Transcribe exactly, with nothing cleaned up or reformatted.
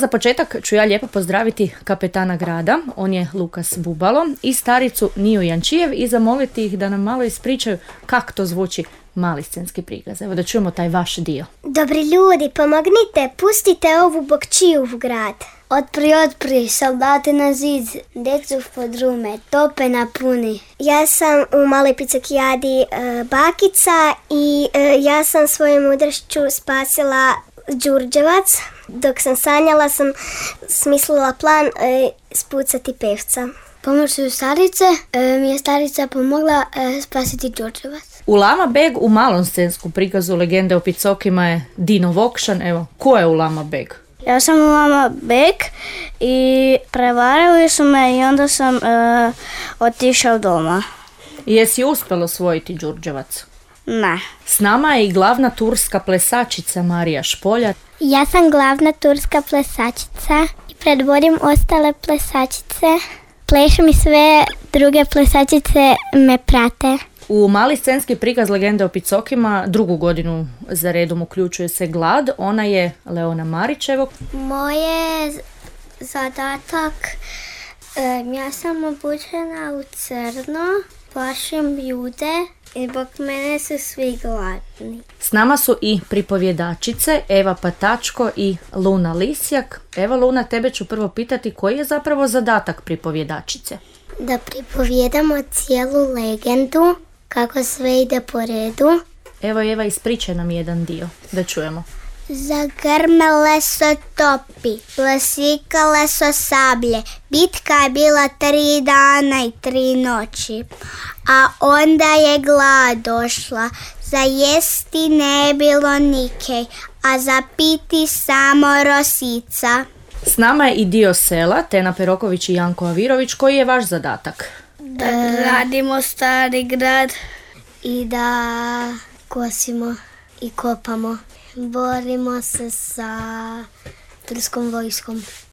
Za početak ću ja lijepo pozdraviti kapetana grada, on je Lukas Bubalo, i staricu Niju Jančijev i zamoliti ih da nam malo ispričaju kako to zvuči mali scenski prikaz. Evo da čujemo taj vaš dio. Dobri ljudi, pomognite, pustite ovu bokčiju u grad. Otpri, otpri, soldati na zid, djecu podrume, tope na puni. Ja sam u maloj picokijadi e, bakica i e, ja sam svojom mudrošću spasila Đurđevac. Dok sam sanjala sam smislila plan e, spucati pevca. Pomoću starice e, mi je starica pomogla e, spasiti Đurđevac. Ulama Beg u malom scenskom prikazu Legende o Picokima je Dino Vokšan. Evo, ko je Ulama Beg? Ja sam Ulama Beg i prevarili su me i onda sam e, otišao doma. Jesi uspjela osvojiti Đurđevac? Ne. S nama je i glavna turska plesačica Marija Špoljar. Ja sam glavna turska plesačica i predvodim ostale plesačice. Plešem i sve druge plesačice me prate. U mali scenski prikaz Legende o Picokima drugu godinu za redom uključuje se Glad. Ona je Leona Marićevo. Moje zadatak, ja sam obučena u crno, plašim ljude i zbog mene su svi gladni. S nama su i pripovjedačice Eva Patačko i Luna Lisjak. Evo Luna, tebe ću prvo pitati koji je zapravo zadatak pripovjedačice? Da pripovjedamo cijelu legendu, kako sve ide po redu. Evo Eva, ispričaj nam jedan dio, da čujemo. Zagrmele so topi, plasikale so sablje, bitka je bila tri dana i tri noći. A onda je glad došla, za jesti ne bilo nikej, a za piti samo rosica. S nama je i dio sela, Tena Peroković i Janko Avirović. Koji je vaš zadatak? Da gradimo stari grad i da kosimo i kopamo. Borimo se sa turskom vojskom.